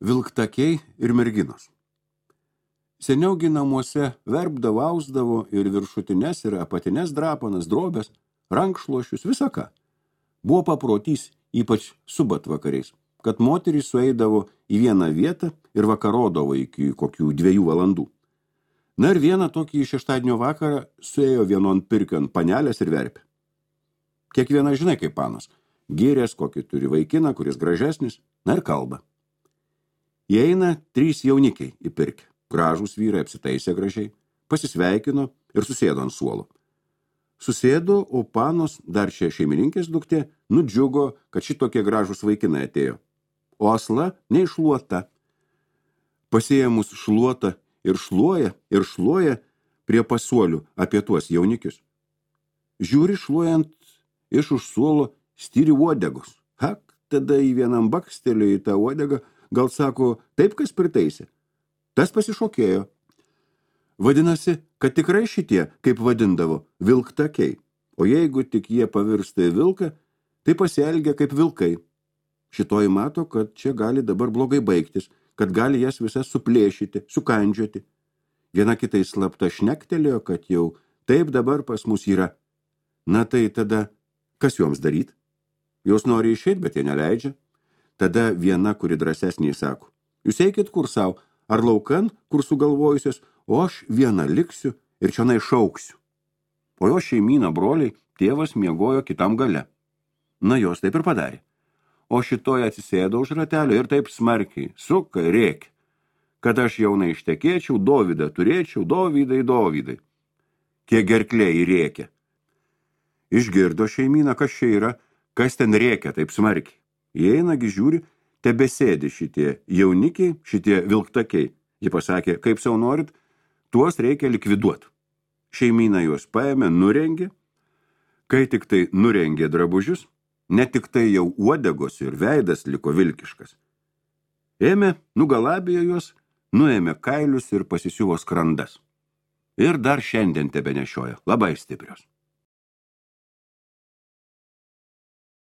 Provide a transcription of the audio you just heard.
Vilktakiai ir merginos. Seniaugi namuose verbdavo, ausdavo ir viršutines ir apatines drapanas, drobės, rankšluošius, visą ką. Buvo paprotys, ypač subatvakariais, kad moterys sueidavo į vieną vietą ir vakarodavo iki kokių 2 valandų. Na ir vieną tokį šeštadienio vakarą suėjo vienon pirkion panelės ir verpė. Kiekviena žinai kaip panas, gyrės, kokį turi vaikiną, kuris gražesnis, na ir kalba. Įeina 3 jaunikiai į pirkę, gražūs vyrai apsitaisė gražiai, pasisveikino ir susėdo ant suolo. Susėdo, o panos, dar čia šeimininkės duktė, nudžiugo, kad šitokie gražūs vaikinai atėjo. O asla neiššluota. Pasiėmus šluotą ir šluoja prie pasuolių apie tuos jaunikius. Žiūri šluojant iš už suolo styri uodegos. Hak, tada į vienam bakstelio į tą uodegą, gal sako, taip kas pritaisė. Tas pasišokėjo. Vadinasi, kad tikrai šitie, kaip vadindavo, vilktakiai. O jeigu tik jie pavirsta į vilką, tai pasielgia kaip vilkai. Šitoji mato, kad čia gali dabar blogai baigtis, kad gali jas visas suplėšyti, sukandžioti. Viena kitai slapta šnektelėjo, kad jau taip dabar pas mus yra. Na tai tada, kas joms daryt? Jos nori išeit, bet jie neleidžia. Tada viena, kuri drąsesnė, sako, jūs eikit kur sau, ar laukan, kur sugalvojusios, o aš viena liksiu ir čionai šauksiu. O jo šeimyna broliai, tėvas miegojo kitam gale. Na jos taip ir padarė. O šitoje atsisėdo už ratelio ir taip smarkiai, suka ir rėkia, kad aš jaunai ištekėčiau, Dovydą turėčiau, Dovydai. Kiek gerklė rėkia. Išgirdo šeimyna, kas čia yra, kas ten rėkia taip smarkiai. Įeinagi žiūri, tebesėdi šitie jaunikiai, šitie vilktakiai. Ji pasakė, kaip sau norit, tuos reikia likviduoti. Šeimyna juos paėmė, nurengė. Kai tik tai nurengė drabužius, ne tik tai jau uodegos ir veidas liko vilkiškas. Ėmė, nugalabėjo juos, nuėmė kailius ir pasisiuvo skrandas. Ir dar šiandien tebenešioja, labai stiprios.